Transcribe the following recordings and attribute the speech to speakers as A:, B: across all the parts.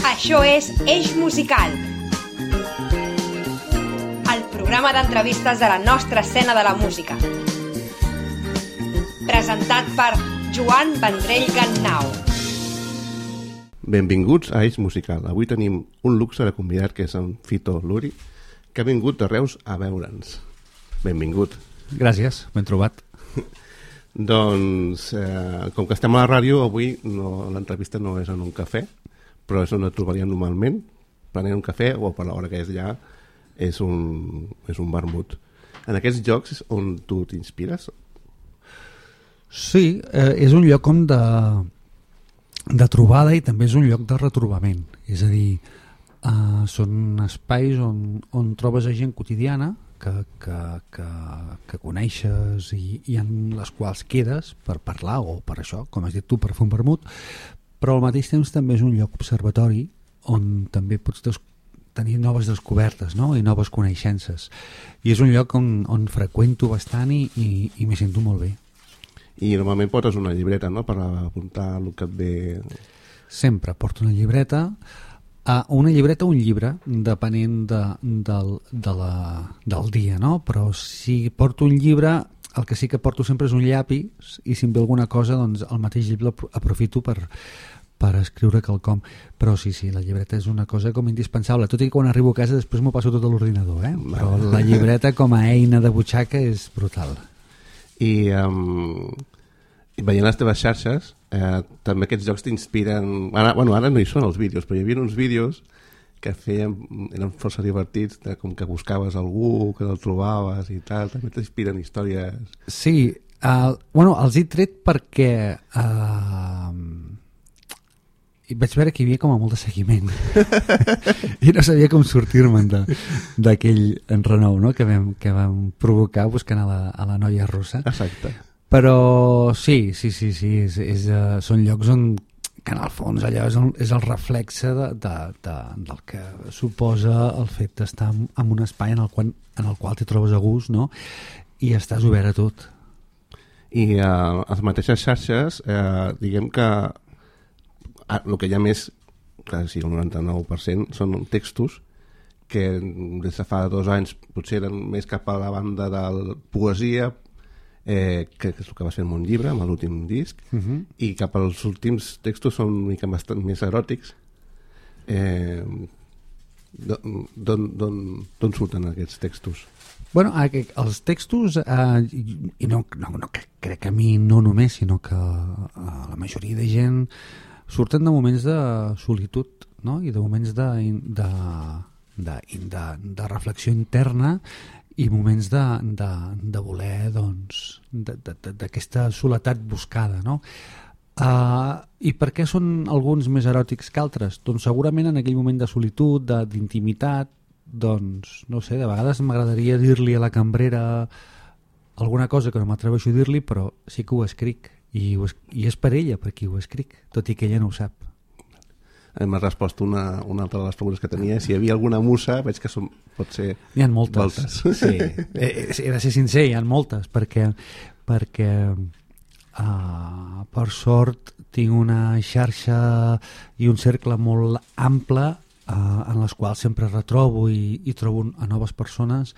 A: Això és Eix Musical, el programa d'entrevistes de la nostra escena de la música. Presentat per Joan Vendrell Gannau.
B: Benvinguts a Eix Musical. Avui tenim un luxe de convidat, que és en Fito Luri, que ha vingut de Reus a veure'ns. Benvingut.
C: Gràcies, ben trobat.
B: Doncs, com que estem a la ràdio, avui l'entrevista no és en un cafè, però és on et trobaríem normalment, prenent un cafè, o per l'hora que és ja, és un vermut. En aquests llocs on tu t'inspires?
C: Sí, és un lloc com de trobada i també és un lloc de retrobament. És a dir, són espais on trobes a gent quotidiana que coneixes i en les quals quedes per parlar o per això, com has dit tu, per fer un vermut, però al mateix temps també és un lloc observatori on també pots tenir noves descobertes, no? I noves coneixences. I és un lloc on freqüento bastant i m'hi sento molt bé.
B: I normalment portes una llibreta, no?, per apuntar el que et ve...
C: Sempre porto una llibreta, un llibre, depenent del dia, no? Però si porto un llibre, el que sí que porto sempre és un llapis, i si em ve alguna cosa, doncs el mateix llibre aprofito per escriure quelcom. Però sí, la llibreta és una cosa com indispensable, tot i que quan arribo a casa després m'ho passo tot a l'ordinador, però la llibreta com a eina de butxaca és brutal.
B: I veient les teves xarxes, també aquests jocs t'inspiren... Ara no hi són els vídeos, però hi havia uns vídeos que eren força divertits, com que buscaves algú, que el trobaves i tal, també t'inspiren històries...
C: Sí, els he tret perquè vaig veure que hi havia com a molt de seguiment i no sabia com sortir-me'n d'aquell enrenou, no?, que vam provocar buscant a la noia russa.
B: Exacte.
C: Però sí, són llocs on, que en el fons allò és el reflexe del que suposa el fet d'estar en un espai en el qual t'hi trobes a gust, no?, i estàs obert a tot.
B: I a les mateixes xarxes, diguem que el que hi ha més, quasi el 99%, són textos que des de fa 2 anys potser eren més cap a la banda de la poesia, que és el que va ser un llibre, amb l'últim disc, i cap als últims textos són una mica bastant més eròtics. D'on surten aquests textos?
C: Bueno, els textos, i no crec que a mi no només, sinó que a la majoria de gent, surten de moments de solitud, no?, i de moments de reflexió interna i moments de voler, doncs, d'aquesta soledat buscada, no? I per què són alguns més eròtics que altres? Doncs segurament en aquell moment de solitud, d'intimitat, doncs, no sé, de vegades m'agradaria dir-li a la cambrera alguna cosa que no m'atreveixo a dir-li, però sí que ho escric, i és per ella per qui ho escric, tot i que ella no ho sap.
B: M'ha respost una altra de les preguntes que tenia. Si hi havia alguna musa, veig que pot ser...
C: N'hi ha moltes. Sí. He de ser sincer, hi ha moltes, perquè per sort tinc una xarxa i un cercle molt ample en les quals sempre retrobo i trobo a noves persones,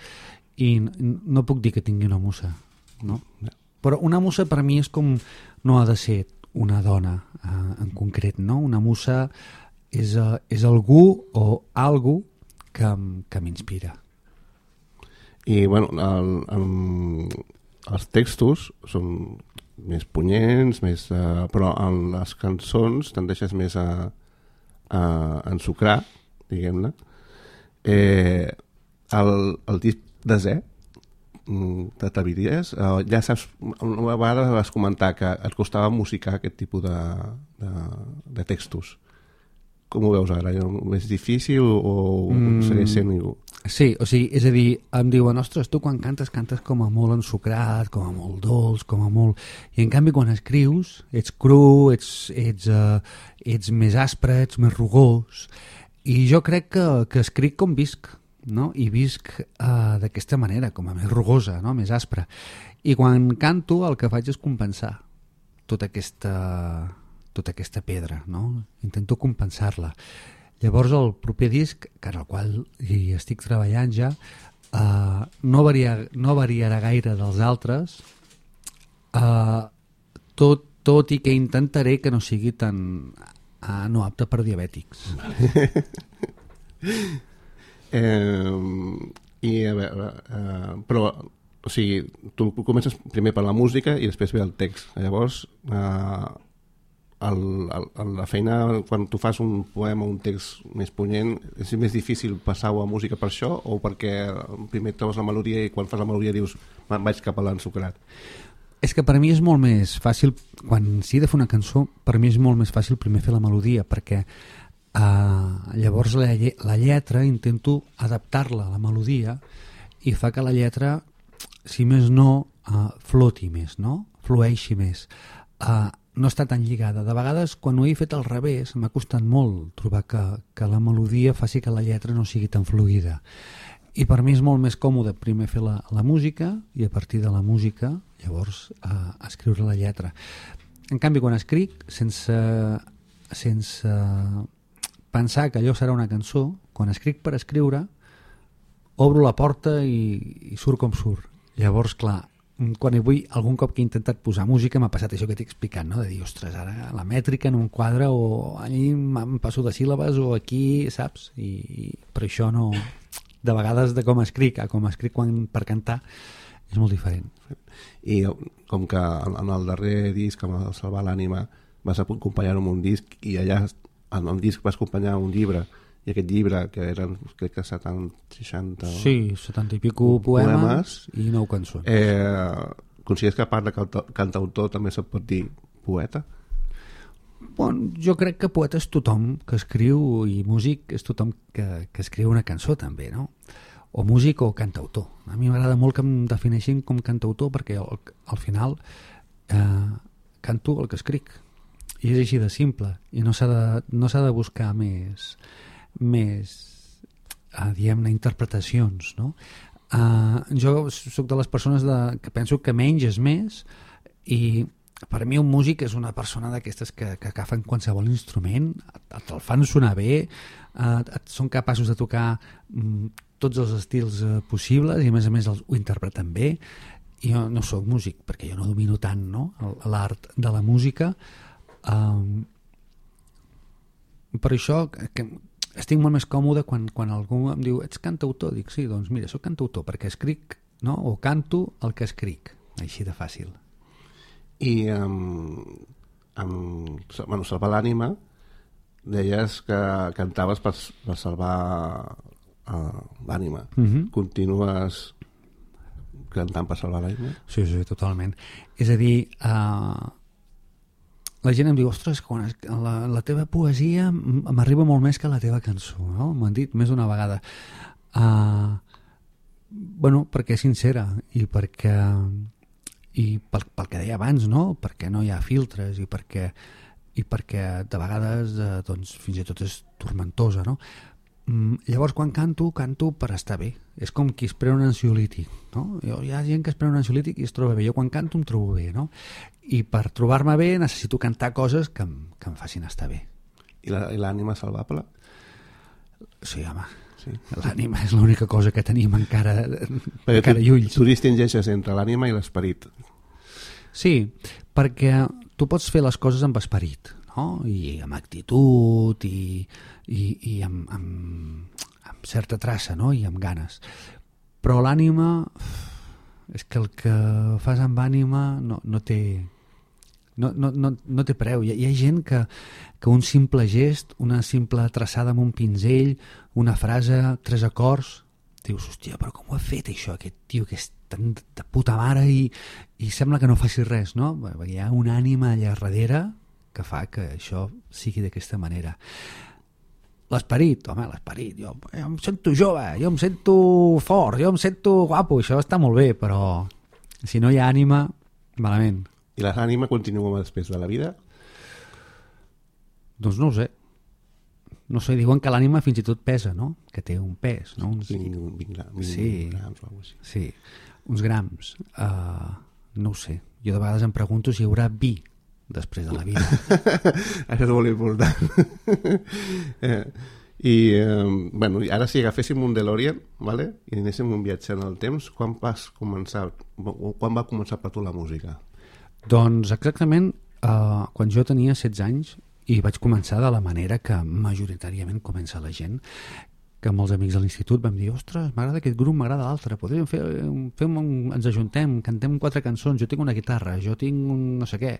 C: i no puc dir que tingui una musa, no? Però una musa per mi és com... no ha de ser una dona en concret, no? Una musa és algú o algú que m'inspira.
B: I bueno, els textos són més punyents, però en les cançons tendeixes més a ensucrar, diguem-ne. El disc desè, t'atreviries? Ja saps, una vegada vas comentar que et costava musicar aquest tipus de textos. Com ho veus ara? És difícil o segueix sent igual?
C: Sí, o sigui, és a dir, em diuen, ostres, tu quan cantes com a molt ensucrat, com a molt dolç, com a molt... I en canvi quan escrius ets cru, ets més aspre, ets més rugós, i jo crec que escric com visc, no? I visc d'aquesta manera, com a més rugosa, no? Més aspra. I quan canto el que faig és compensar tota aquesta pedra, no? Intento compensar-la. Llavors el proper disc, que en el qual hi estic treballant ja, no variarà gaire dels altres, tot i que intentaré que no sigui tan no apte per diabètics.
B: I a veure, però o sigui, tu comences primer per la música i després ve el text. Llavors la feina quan tu fas un poema o un text més punyent és més difícil passar-ho a música per això, o perquè primer trobes la melodia i quan fas la melodia dius vaig cap a l'ensucrat?
C: És que per mi és molt més fàcil, quan s'hi ha de fer una cançó, per mi és molt més fàcil primer fer la melodia, perquè llavors la lletra intento adaptar-la a la melodia i fa que la lletra, si més no, floti més, no? Flueixi més. No està tan lligada. De vegades, quan ho he fet al revés, m'ha costat molt trobar que la melodia faci que la lletra no sigui tan fluida. I per mi és molt més còmode primer fer la música i a partir de la música llavors escriure la lletra. En canvi, quan escric, sense pensar que allò serà una cançó, quan escric per escriure, obro la porta i surt com surt. Llavors, clar, quan algun cop que he intentat posar música m'ha passat això que t'he explicat, no? De dir, ostres, ara la mètrica en un quadre o allí em passo de síl·labes o aquí, saps? I per això no... De vegades de com escric a com escric per cantar és molt diferent.
B: I com que en el darrer disc, amb el Salvar l'ànima, vas acompanyar-ho amb un disc i allà en el disc vas acompanyar un llibre, i aquest llibre, que eren crec que 60...
C: Sí, 70 i pico poemes i 9 cançons.
B: Considères que a part de cantautor també se't pot dir poeta?
C: Bon, jo crec que poeta és tothom que escriu i músic és tothom que escriu una cançó també, no? O músic o cantautor. A mi m'agrada molt que em defineixin com cantautor perquè al final canto el que escric i és així de simple i no s'ha de buscar més diguem-ne interpretacions, no? Jo soc de les persones que penso que menys és més i per mi un músic és una persona d'aquestes que agafen qualsevol instrument, te'l fan sonar bé, són capaços de tocar tots els estils possibles i a més ho interpreten bé. I jo no sóc músic perquè jo no domino tant, no? L'art de la música. Per això que estic molt més còmode quan algú em diu ets cantautor, dic sí, doncs mira, soc cantautor perquè escric, no? O canto el que escric, així de fàcil.
B: I Salvar l'ànima deies que cantaves per salvar l'ànima. Continues cantant per salvar l'ànima?
C: Sí, totalment. És a dir, la gent em diu ostres, la teva poesia m'arriba molt més que la teva cançó, no? M'han dit més d'una vegada. Bueno, perquè és sincera i pel que deia abans, no? Perquè no hi ha filtres i perquè de vegades doncs, fins i tot és tormentosa, no? Llavors quan canto per estar bé. És com qui es pren un ansiolític, no? Hi ha gent que es pren un ansiolític i es troba bé. Jo quan canto em trobo bé, no? I per trobar-me bé necessito cantar coses que em facin estar bé.
B: I l'ànima salvable?
C: Sí, home. Sí. L'ànima és l'única cosa que tenim encara i ulls.
B: Tu distingeixes entre l'ànima i l'esperit.
C: Sí, perquè tu pots fer les coses amb esperit, no? I amb actitud i amb certa traça, no? I amb ganes. Però l'ànima és que el que fas amb ànima no té preu. Hi ha gent que un simple gest, una simple traçada amb un pinzell, una frase, 3 acords, dius, hòstia, però com ho ha fet això, aquest tio que és tan de puta mare i sembla que no faci res, no? Perquè hi ha una ànima allà darrere que fa que això sigui d'aquesta manera. L'esperit, home, l'esperit, jo em sento jove, jo em sento fort, jo em sento guapo, això està molt bé, però si no hi ha ànima, malament.
B: I l'ànima continua després de la vida?
C: Doncs no ho sé. No sé, diuen que l'ànima fins i tot pesa, no? Que té un pes, no?
B: 20 grams o alguna cosa.
C: Sí, uns grams. No ho sé. Jo de vegades em pregunto si hi haurà vi després de la vida.
B: Això és molt important. I, bueno, ara si agaféssim un DeLorean, vale? I anéssim un viatge en el temps, quan va començar per tu la música?
C: Doncs exactament quan jo tenia 16 anys i vaig començar de la manera que majoritàriament comença la gent, que molts amics de l'institut vam dir, ostres, m'agrada aquest grup, m'agrada l'altre, podríem ens ajuntem, cantem 4 cançons, jo tinc una guitarra, jo tinc un no sé què,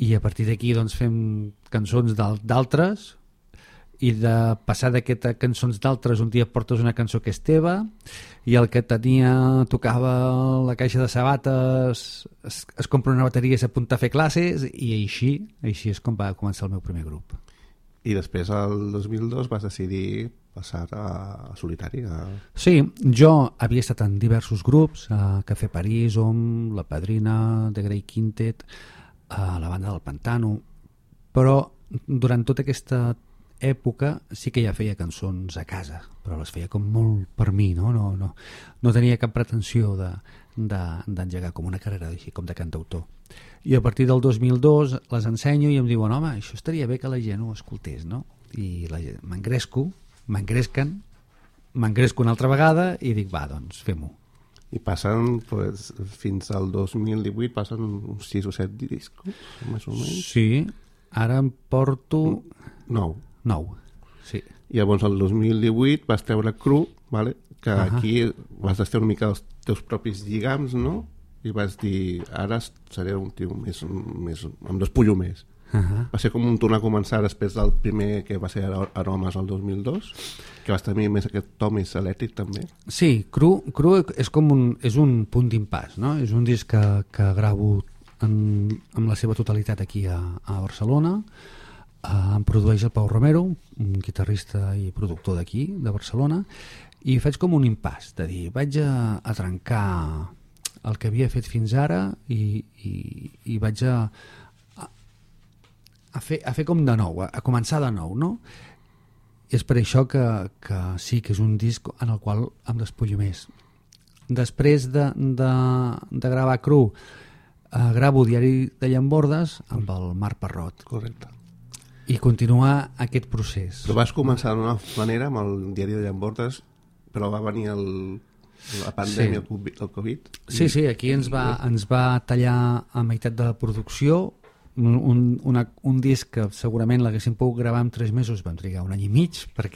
C: i a partir d'aquí doncs fem cançons d'altres, i de passar d'aquestes cançons d'altres un dia portes una cançó que és teva i el que tocava la caixa de sabates es compra una bateria i s'apunta a fer classes i així és com va començar el meu primer grup.
B: I després el 2002 vas decidir passar a solitari?
C: Sí, jo havia estat en diversos grups, Café París, OM, La Padrina, The Grey Quintet, la banda del Pantano, però durant tota aquesta època sí que ja feia cançons a casa, però les feia com molt per mi, no tenia cap pretensió d'engegar com una carrera així com de cantautor. I a partir del 2002 les ensenyo i em diuen, home, això estaria bé que la gent ho escoltés, no? I m'engresco una altra vegada i dic, va, doncs fem-ho.
B: I passen, pues, fins al 2018 passen uns 6 o 7 discos, més o menys?
C: Sí, ara em porto
B: 9,
C: sí.
B: I llavors el 2018 vas treure Cru, vale? Que aquí vas estar una mica els teus propis lligams, no? I vas dir, ara seré un tio més em despullo més. Va ser com un tornar a començar després del primer que va ser Aromes el 2002, que vas tenir més aquest to més elèctric també.
C: Sí, Cru és un punt d'impàs, no? És un disc que gravo amb la seva totalitat aquí a Barcelona. Em produeix el Pau Romero, un guitarrista i productor d'aquí, de Barcelona, i faig com un impàs, de dir, vaig a trencar el que havia fet fins ara i vaig a fer com de nou, a començar de nou, no? I és per això que sí que és un disc en el qual em despullo més. Després de gravar Cru, gravo Diari de Llambordes amb el Marc Parrot.
B: Correcte.
C: I continuar aquest procés.
B: Però vas començar d'una manera amb el Diari de Llambordes, però va venir la pandèmia, el Covid.
C: Sí, aquí ens va tallar a meitat de la producció un disc que segurament l'haguéssim pogut gravar en 3 mesos, vam trigar 1 any i mig, pel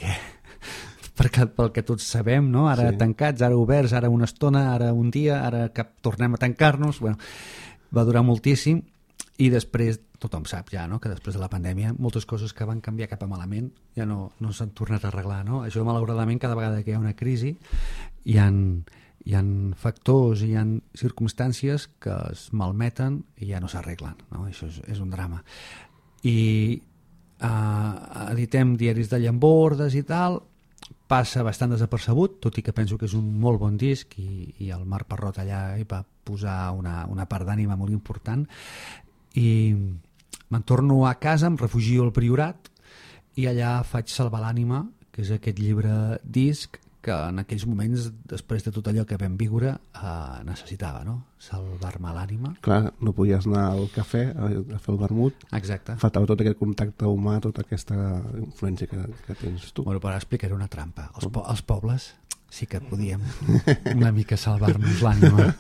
C: que tots sabem, no? Ara tancats, ara oberts, ara una estona, ara un dia, ara que tornem a tancar-nos. Bueno, va durar moltíssim. I després, tothom sap ja, no?, que després de la pandèmia moltes coses que van canviar cap a malament ja no s'han tornat a arreglar, no? Això, malauradament, cada vegada que hi ha una crisi hi ha factors, hi ha circumstàncies que es malmeten i ja no s'arreglen, no? Això és un drama. I editem Diaris de Llambordes i tal, passa bastant desapercebut, tot i que penso que és un molt bon disc i el Marc Parrot allà hi va posar una part d'ànima molt important. I me'n torno a casa, em refugio al Priorat i allà faig Salvar l'ànima, que és aquest llibre disc que en aquells moments, després de tot allò que vam viure, necessitava, no? Salvar-me l'ànima.
B: Clar, no podies anar al cafè a fer el vermut.
C: Exacte.
B: Faltava tot aquest contacte humà, tota aquesta influència que tens tu.
C: Bueno, però ara explicaré una trampa. Els pobles sí que podíem una mica salvar-nos l'ànima.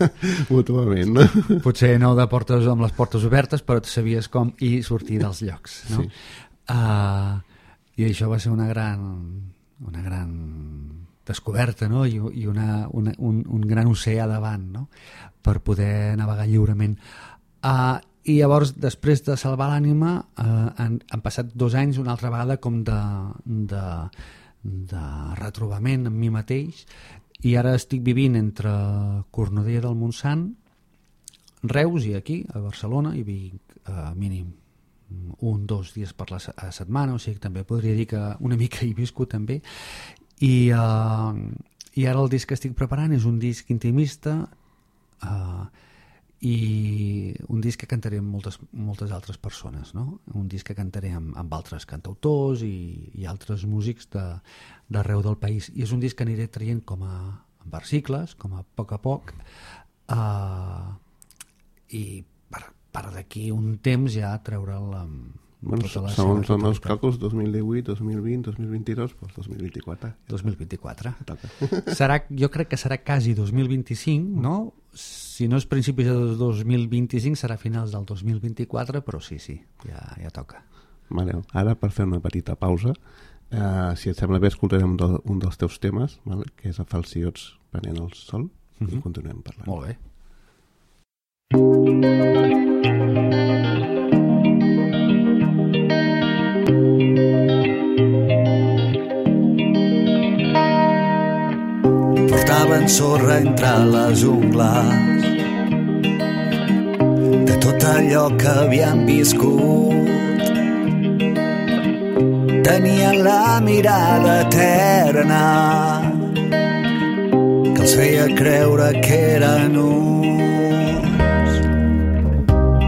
B: Mútuament, no?
C: Potser no amb les portes obertes, però sabies com sortir dels llocs, no? Sí. I això va ser una gran descoberta, no? I un gran oceà davant, no?, per poder navegar lliurement. I llavors, després de Salvar l'ànima, han passat 2 anys una altra vegada com de retrobament amb mi mateix, i ara estic vivint entre Cornudella del Montsant, Reus i aquí, a Barcelona, i vinc mínim 1-2 dies per la setmana, o sigui que també podria dir que una mica hi visco també. I ara el disc que estic preparant és un disc intimista i un disc que cantaré amb moltes altres persones, no? Un disc que cantaré amb altres cantautors i altres músics d'arreu del país, i és un disc que aniré traient com a versicles, com a poc, i per d'aquí un temps ja treure'l
B: Bueno, segons els càlculs 2018, 2020, 2022, doncs 2024.
C: 2024. Jo crec que serà quasi 2025, no? Si no és principis de 2025 serà finals del 2024, però sí, ja toca.
B: Vale, ara per fer una petita pausa, si et sembla bé escoltarem un dels teus temes, vale? Que és a Falciots prenent el sol, i continuem parlant.
C: Molt bé.
D: Portaven sorra entre les ungles de tot allò que havien viscut. Tenien la mirada eterna que els feia creure que eren uns.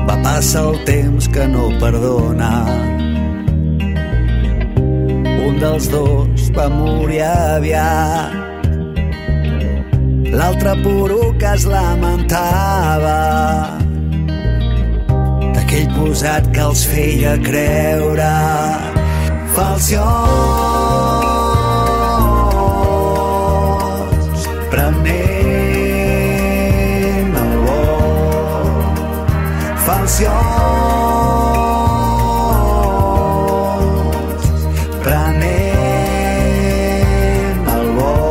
D: Va passar el temps que no perdona. Un dels dos va morir aviat. L'altre poruc es lamentava d'aquell posat que els feia creure falciots, prenent el vol. Falciots, prenent el vol.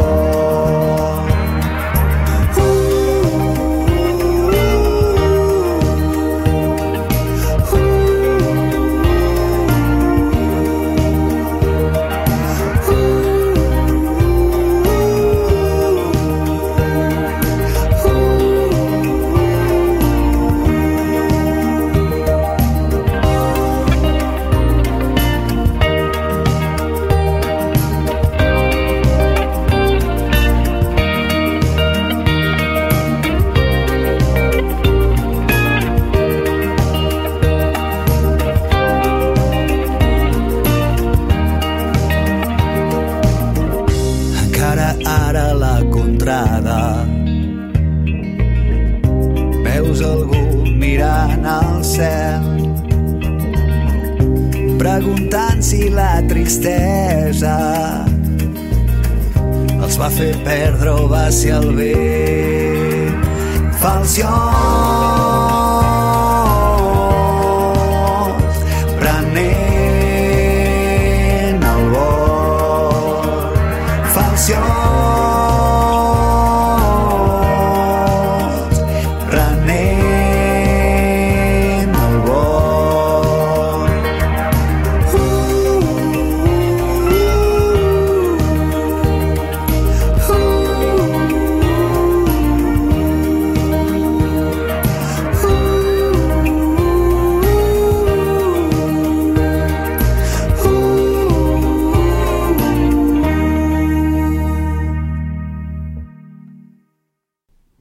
D: Veus algú mirant al cel, preguntant si la tristesa els va fer perdre o va ser el vent. Falciots, prenent el vol. Falciots,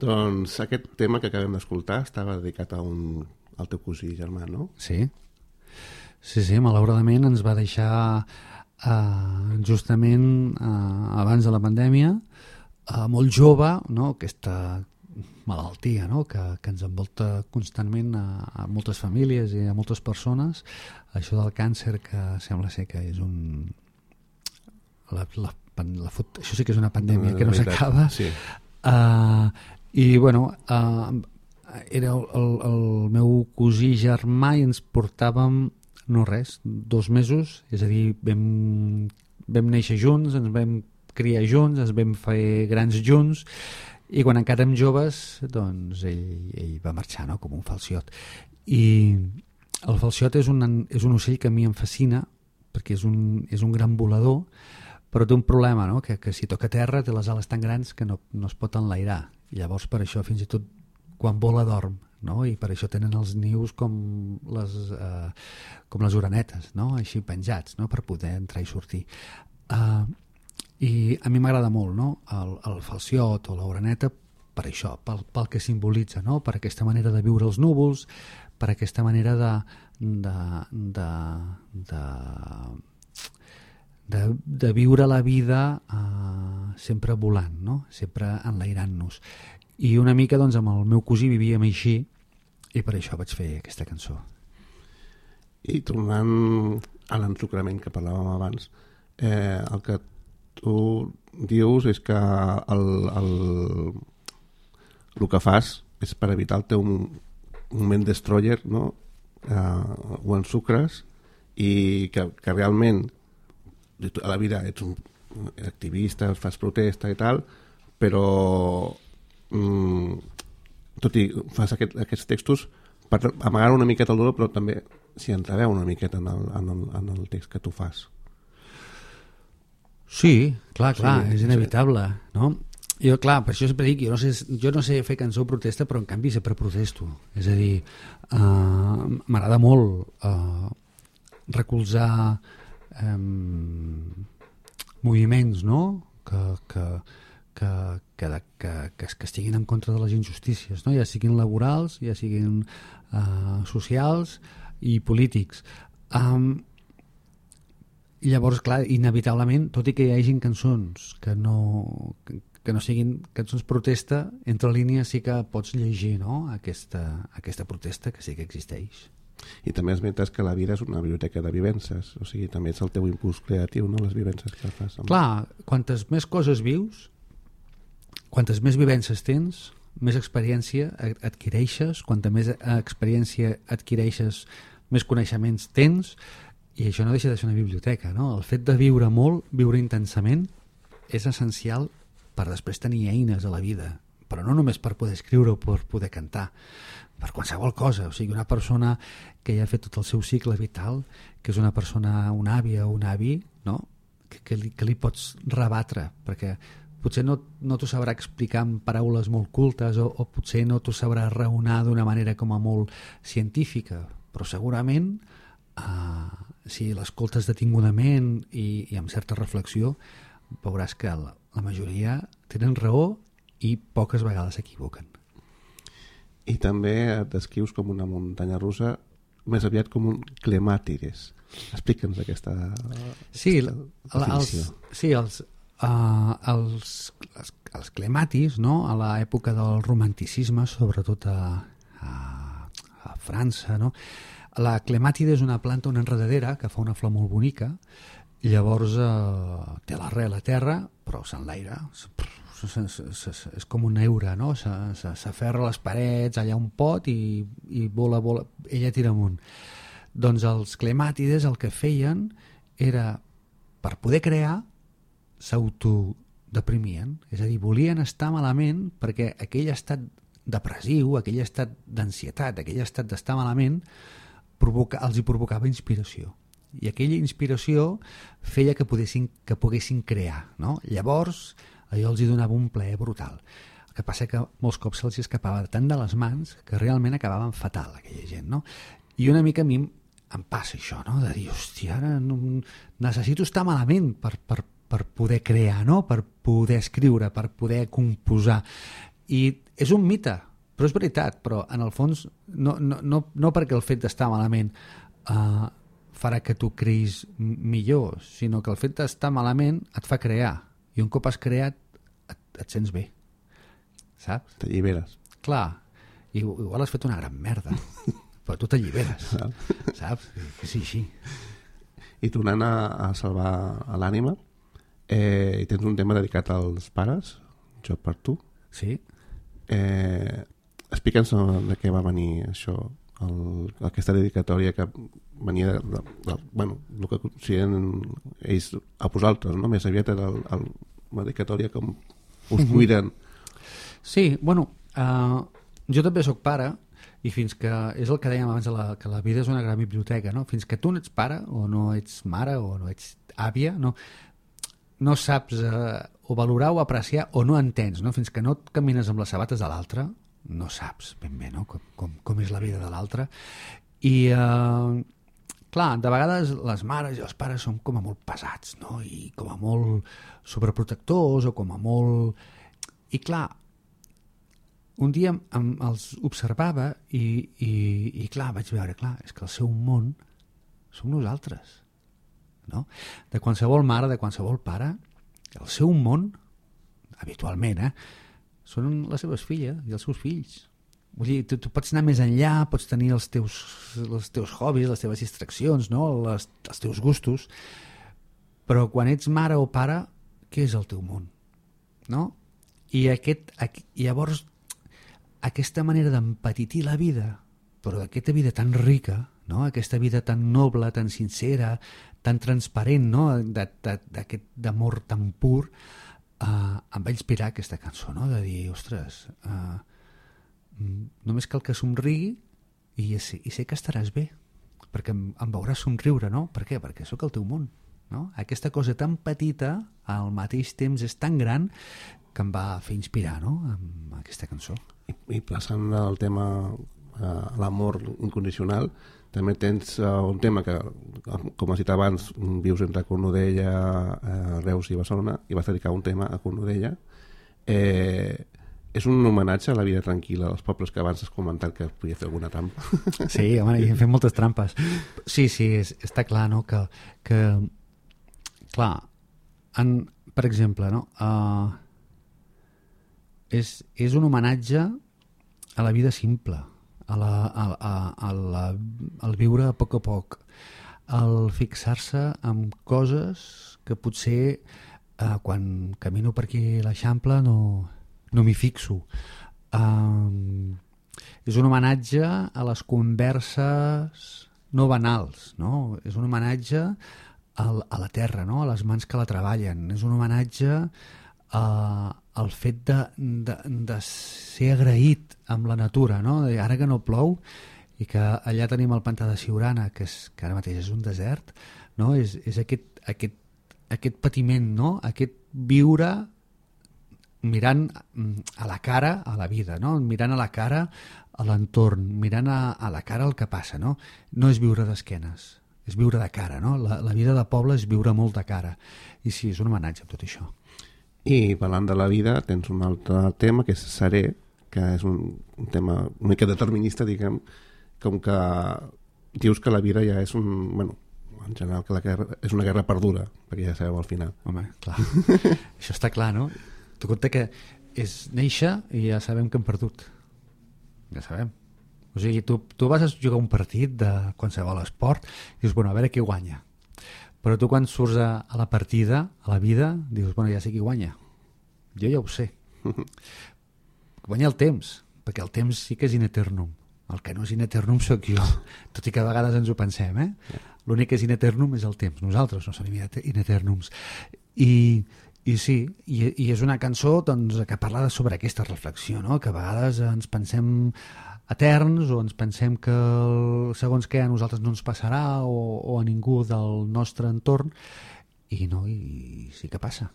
B: Doncs aquest tema que acabem d'escoltar estava dedicat al teu cosí germà, no?
C: Sí, malauradament ens va deixar justament abans de la pandèmia, molt jove, no? Aquesta malaltia, no? que ens envolta constantment a moltes famílies i a moltes persones, això del càncer, que sembla ser que és això sí que és una pandèmia que no s'acaba.
B: Sí.
C: I bueno, era el meu cosí germà i ens portàvem no res, 2 mesos, és a dir, vam néixer junts, ens vam criar junts, ens vam fer grans junts, i quan encara érem joves doncs ell va marxar, no? Com un falciot. I el falciot és un ocell que a mi em fascina perquè és un gran volador, però té un problema, no? que si toca terra té les ales tan grans que no es pot enlairar. I llavors per això fins i tot quan vola dorm, no? I per això tenen els nius com les orenetes, no? Així penjats, no? Per poder entrar i sortir. I a mi m'agrada molt, no? El falciot o l'oreneta per això, pel que simbolitza, no? Per aquesta manera de viure els núvols, per aquesta manera de viure la vida sempre volant, no? Sempre enlairant-nos. I una mica doncs amb el meu cosí vivíem així i per això vaig fer aquesta cançó.
B: I tornant a l'ensucrament que parlàvem abans, el que tu dius és que el que fas és per evitar el teu moment destroyer, no? Ho ensucres i que realment a la vida ets un activista, fas protesta i tal, però tot i fas aquests textos per amagar una miqueta el dolor, però també s'hi entreveu una miqueta en el text que tu fas.
C: Sí, clar, és inevitable, no? Jo, clar, per això sempre dic, jo no sé fer cançó protesta, però en canvi sempre protesto. És a dir, m'agrada molt recolzar moviments, no? Que estiguin en contra de les injustícies, no? Ja siguin laborals, ja siguin socials i polítics. I llavors, clar, inevitablement, tot i que hi hagin cançons que no siguin cançons protesta, entre línies sí que pots llegir, no? aquesta protesta que sí que existeix.
B: I també esmentes que la vida és una biblioteca de vivències, o sigui, també és el teu impuls creatiu, no? Les vivències que fas.
C: Clar, quantes més coses vius, quantes més vivències tens, més experiència adquireixes, quanta més experiència adquireixes, més coneixements tens, i això no deixa de ser una biblioteca, no? El fet de viure molt, viure intensament, és essencial per després tenir eines a la vida, però no només per poder escriure o per poder cantar, per qualsevol cosa. O sigui, una persona que ja ha fet tot el seu cicle vital, que és una persona, una àvia o un avi, no? que li pots rebatre, perquè potser no t'ho sabrà explicar amb paraules molt cultes o potser no t'ho sabrà raonar d'una manera com a molt científica, però segurament si l'escoltes detingudament i amb certa reflexió veuràs que la majoria tenen raó i poques vegades s'equivoquen.
B: I també et descrius com una muntanya russa, més aviat com un clemàtides. Explica'ns aquesta definició.
C: Els clematis, no? A l'època del romanticisme, sobretot a França, no? La clemàtide és una planta, una enredadera que fa una flor molt bonica, i llavors té l'arrel a terra, però s'enlaira, és com un eure, no? S'aferra a les parets, allà un pot i vola, ella tira amunt. Doncs els clemàtides el que feien era, per poder crear, s'autodeprimien, és a dir, volien estar malament perquè aquell estat depressiu, aquell estat d'ansietat, aquell estat d'estar malament els hi provocava inspiració, i aquella inspiració feia que poguessin crear, no? Llavors allò els hi donava un plaer brutal. El que passa que molts cops se'ls escapava tant de les mans que realment acabaven fatal aquella gent, no? I una mica a mi em passa això, no? De dir, hòstia, ara necessito estar malament per poder crear, no? Per poder escriure, per poder composar. I és un mite, però és veritat, però en el fons no perquè el fet d'estar malament farà que tu creïs millor, sinó que el fet d'estar malament et fa crear, i un cop has creat et sents bé, saps?
B: T'alliberes.
C: Clar, igual has fet una gran merda, però tu t'alliberes, saps? Que sí, així.
B: I tornant a salvar l'ànima, tens un tema dedicat als pares, Jo per tu.
C: Sí.
B: Explica'ns de què va venir això, aquesta dedicatòria que venia bueno, el que consideren ells a vosaltres, no? Més aviat era una dedicatòria com us cuiden.
C: Sí, bueno, jo també sóc pare, i fins que, és el que dèiem abans, que la vida és una gran biblioteca, no? Fins que tu no ets pare, o no ets mare, o no ets àvia, no saps o valorar o apreciar, o no entens, no? Fins que no et camines amb les sabates de l'altre, no saps ben bé, no? Com és la vida de l'altre. I clar, de vegades les mares i els pares són com a molt pesats, no? I com a molt sobreprotectors, o com a molt... I clar, un dia els observava i clar, vaig veure, clar, és que el seu món som nosaltres, no? De qualsevol mare, de qualsevol pare, el seu món, habitualment, són les seves filles i els seus fills. Vull dir, tu pots anar més enllà, pots tenir els teus hobbies, les teves distraccions, no? Els teus gustos, però quan ets mare o pare, què és el teu món? No? I llavors aquesta manera d'empetitir la vida, però d'aquesta vida tan rica, no? Aquesta vida tan noble, tan sincera, tan transparent, no? D'aquest d'amor tan pur, em va inspirar aquesta cançó, no? De dir, ostres, només cal que somrigui i sé que estaràs bé, perquè em veuràs somriure, no? Per què? Perquè sóc el teu món, no? Aquesta cosa tan petita al mateix temps és tan gran que em va fer inspirar, no? Amb aquesta cançó.
B: I passant al tema l'amor incondicional, també tens un tema que, com has dit abans, vius entre Cornudella, Reus i Barcelona, i vas dedicar un tema a Cornudella. És un homenatge a la vida tranquil·la dels pobles que abans has comentat que podia fer alguna trampa.
C: Sí, home, hi hem fet moltes trampes. Sí, està clar, no? Que clar, per exemple, no? És un homenatge a la vida simple, al viure a poc, al fixar-se en coses que potser quan camino per aquí a l'Eixample no m'hi fixo. És un homenatge a les converses no banals, no? És un homenatge a la terra, no? A les mans que la treballen. És un homenatge al fet de ser agraït amb la natura, no? Ara que no plou i que allà tenim el pantà de Siurana, que ara mateix és un desert, no? És aquest patiment, no? Aquest viure mirant a la cara a la vida, no? Mirant a la cara a l'entorn, mirant a la cara el que passa, no? No és viure d'esquenes, és viure de cara, no? La vida de poble és viure molt de cara. I sí, és un homenatge a tot això.
B: I parlant de la vida, tens un altre tema que és Seré, que és un tema una mica determinista, diguem, com que dius que la vida ja és en general que la guerra és una guerra perduda, perquè ja sabeu al final.
C: Home, clar. Això està clar, no? Tu compte que és néixer i ja sabem que hem perdut. Ja sabem. O sigui, tu vas a jugar un partit de qualsevol esport i dius, bueno, a veure qui guanya. Però tu quan surts a la partida, a la vida, dius, bueno, ja sé qui guanya. Jo ja ho sé. Guanya el temps, perquè el temps sí que és in eternum. El que no és in eternum sóc jo, tot i que a vegades ens ho pensem, eh? L'únic que és in eternum és el temps. Nosaltres no som in eternums. I sí, i és una cançó doncs, que parla sobre aquesta reflexió, no? Que a vegades ens pensem eterns o ens pensem que segons què a nosaltres no ens passarà o a ningú del nostre entorn i no, i sí que passa.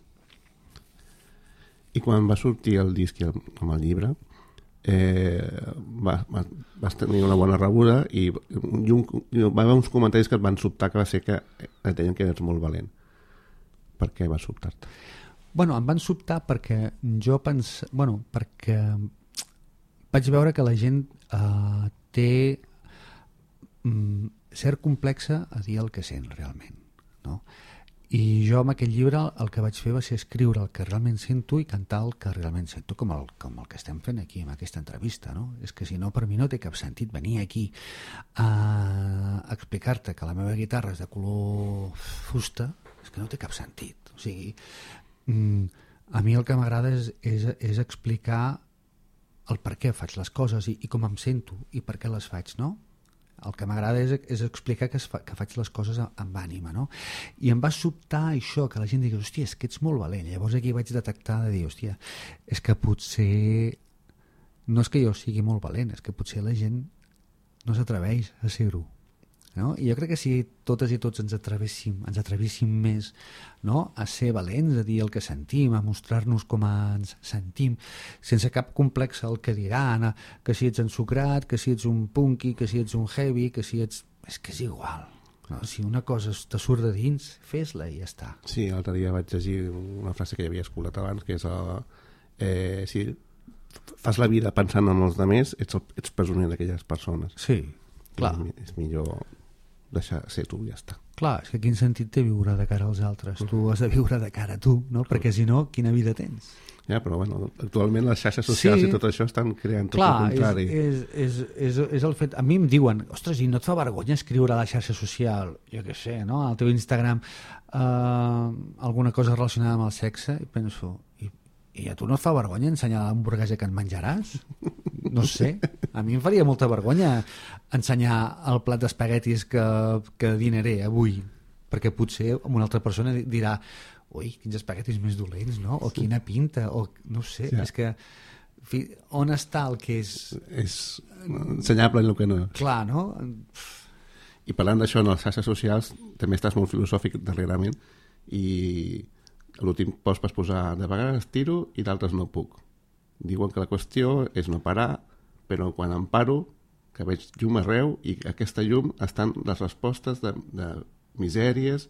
B: I quan va sortir el disc amb el llibre vas tenir una bona rebuda i va haver uns comentaris que et van sobtar, que va ser que et deien que eres molt valent. Per què va sobtar-te?
C: Bueno, em van sobtar perquè perquè vaig veure que la gent té cert complexa a dir el que sent realment, no? I jo amb aquest llibre el que vaig fer va ser escriure el que realment sento i cantar el que realment sento, com el que estem fent aquí amb aquesta entrevista, no? És que si no, per mi no té cap sentit venir aquí a explicar-te que la meva guitarra és de color fusta, és que no té cap sentit. O sigui, a mi el que m'agrada és explicar el per què faig les coses i com em sento i per què les faig, no? El que m'agrada és explicar que faig les coses amb ànima, no? I em va sobtar això, que la gent digui, hòstia, és que ets molt valent. Llavors aquí vaig detectar de dir, hòstia, és que potser no és que jo sigui molt valent, és que potser la gent no s'atreveix a ser-ho, no? I jo crec que si totes i tots ens atrevéssim més, no? A ser valents, a dir el que sentim, a mostrar-nos com ens sentim, sense cap complex el que diran, que si ets ensucrat, que si ets un punky, que si ets un heavy, que si ets... És que és igual, no? Si una cosa te surt de dins, fes-la i ja està.
B: Sí, l'altre dia vaig llegir una frase que ja havia escoltat abans, que és si fas la vida pensant en els altres, ets presoner d'aquelles persones.
C: Sí, clar.
B: És millor deixar ser tu, ja està.
C: Clar, és que quin sentit té viure de cara als altres? Tu has de viure de cara a tu, no? Perquè si no, quina vida tens?
B: Ja, però bueno, actualment les xarxes socials i tot això estan creant tot el contrari.
C: És el fet... A mi em diuen, ostres, i no et fa vergonya escriure a la xarxa social, jo què sé, no? Al teu Instagram alguna cosa relacionada amb el sexe, i penso, i a tu no et fa vergonya ensenyar l'hamburguesa que et menjaràs? No sé, a mi em faria molta vergonya ensenyar el plat d'espaguetis que dinaré avui, perquè potser una altra persona dirà ui, quins espaguetis més dolents, no? O quina pinta, o no sé, és que on està el que és...
B: És ensenyable el que no.
C: Clar, no?
B: I parlant d'això, en les xarxes socials també estàs molt filosòfic darrerament i a l'últim post vas posar de vegades tiro i d'altres no puc. Diuen que la qüestió és no parar, però quan em paro, que veig llum arreu i aquesta llum estan les respostes de misèries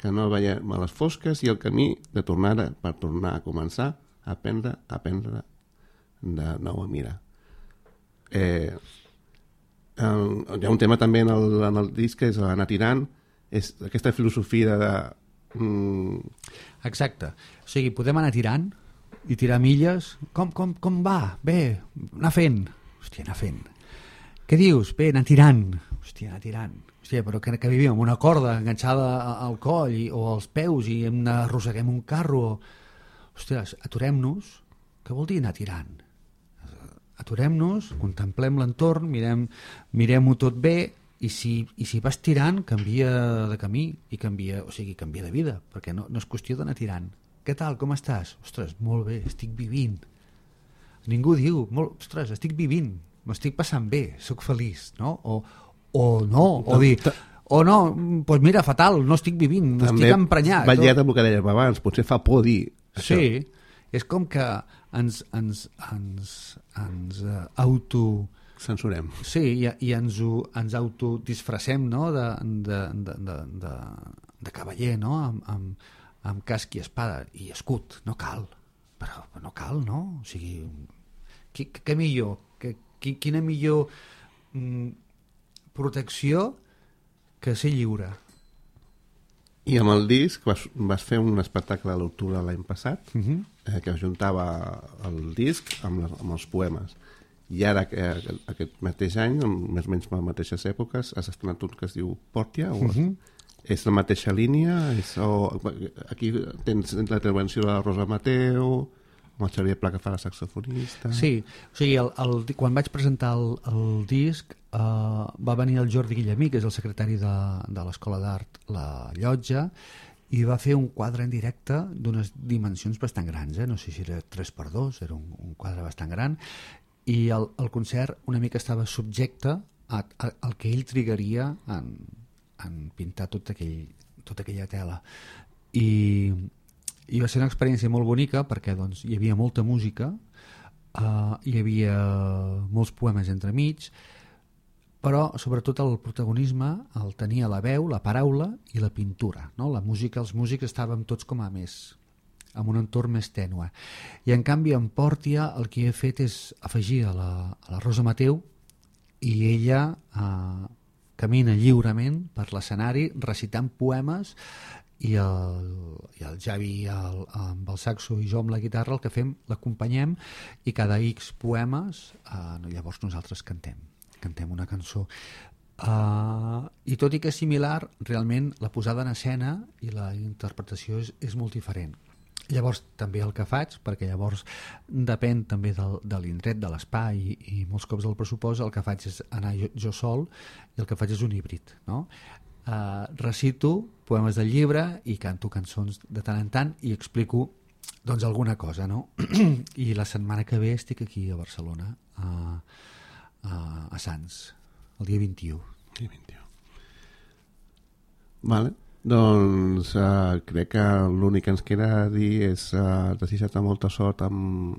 B: que no veiem a les fosques i el camí de tornar per tornar a començar a aprendre de nou a mirar. Hi ha un tema també en el disc que és anar tirant, és aquesta filosofia de...
C: Exacte, o sigui, podem anar tirant i tirar milles, com va? Bé, anar fent. Hòstia, anar fent. Què dius? Bé, anar tirant. Hòstia, anar tirant. Hòstia, però que vivim amb una corda enganxada al coll o als peus i arrosseguem un carro. Hòstia, aturem-nos. Què vol dir anar tirant? Aturem-nos, contemplem l'entorn, mirem-ho tot bé i si vas tirant, canvia de camí i canvia de vida, perquè no és qüestió d'anar tirant. Què tal, com estàs? Ostres, molt bé, estic vivint. Ningú diu, ostres, estic vivint, m'estic passant bé, sóc feliç, no? O no, o dir, o no, doncs mira, fatal, no estic vivint, estic emprenyat.
B: Va lligat amb el que dèiem abans, potser fa por dir això.
C: Sí, és com que ens
B: censurem.
C: Sí, i ens autodisfressem, no?, de cavaller, no?, amb casc i espada i escut. No cal, però no cal, no? O sigui, què millor? Quina millor protecció que ser lliure?
B: I amb el disc vas fer un espectacle a l'octubre l'any passat que juntava el disc amb els poemes. I ara, aquest mateix any, més o menys a les mateixes èpoques, has estrenat un que es diu Pòrtia? És la mateixa línia? Aquí tens la intervenció de la Rosa Mateu, amb el Xavier Pla que fa la saxofonista... Sí,
C: o sigui, quan vaig presentar el disc va venir el Jordi Guillemí, que és el secretari de l'Escola d'Art La Llotja, i va fer un quadre en directe d'unes dimensions bastant grans, no sé si era 3x2, era un quadre bastant gran, i el concert una mica estava subjecte al que ell trigaria en pintar tota aquella tela. I va ser una experiència molt bonica perquè doncs, hi havia molta música, hi havia molts poemes entremig, però sobretot el protagonisme el tenia la veu, la paraula i la pintura, no? La música, els músics estàvem tots com a més amb un entorn més tènue. I en canvi en Pòrtia el que he fet és afegir a la Rosa Mateu i ella camina lliurement per l'escenari recitant poemes i el Javi amb el saxo i jo amb la guitarra el que fem, l'acompanyem i cada X poemes llavors nosaltres cantem una cançó. I tot i que és similar, realment la posada en escena i la interpretació és molt diferent. Llavors també el que faig, perquè llavors depèn també de l'indret, de l'espai i molts cops del pressupost, el que faig és anar jo sol i el que faig és un híbrid, no? Recito poemes del llibre i canto cançons de tant en tant i explico doncs alguna cosa, no? I la setmana que ve estic aquí a Barcelona a Sants, el dia 21.
B: Dia 21. Vale. Doncs crec que l'únic que ens queda dir és desitjar-te molta sort amb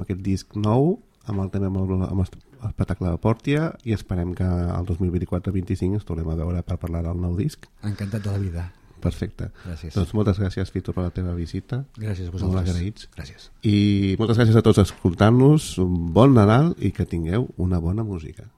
B: aquest disc nou, amb l'espectacle de Pòrtia, i esperem que el 2024-25 ens tornem a veure per parlar del nou disc.
C: Encantat de la vida.
B: Perfecte.
C: Gràcies.
B: Doncs moltes gràcies, Fito, per la teva visita.
C: Gràcies a vosaltres.
B: Molt agraïts.
C: Gràcies.
B: I moltes gràcies a tots escoltant-nos. Un bon Nadal i que tingueu una bona música.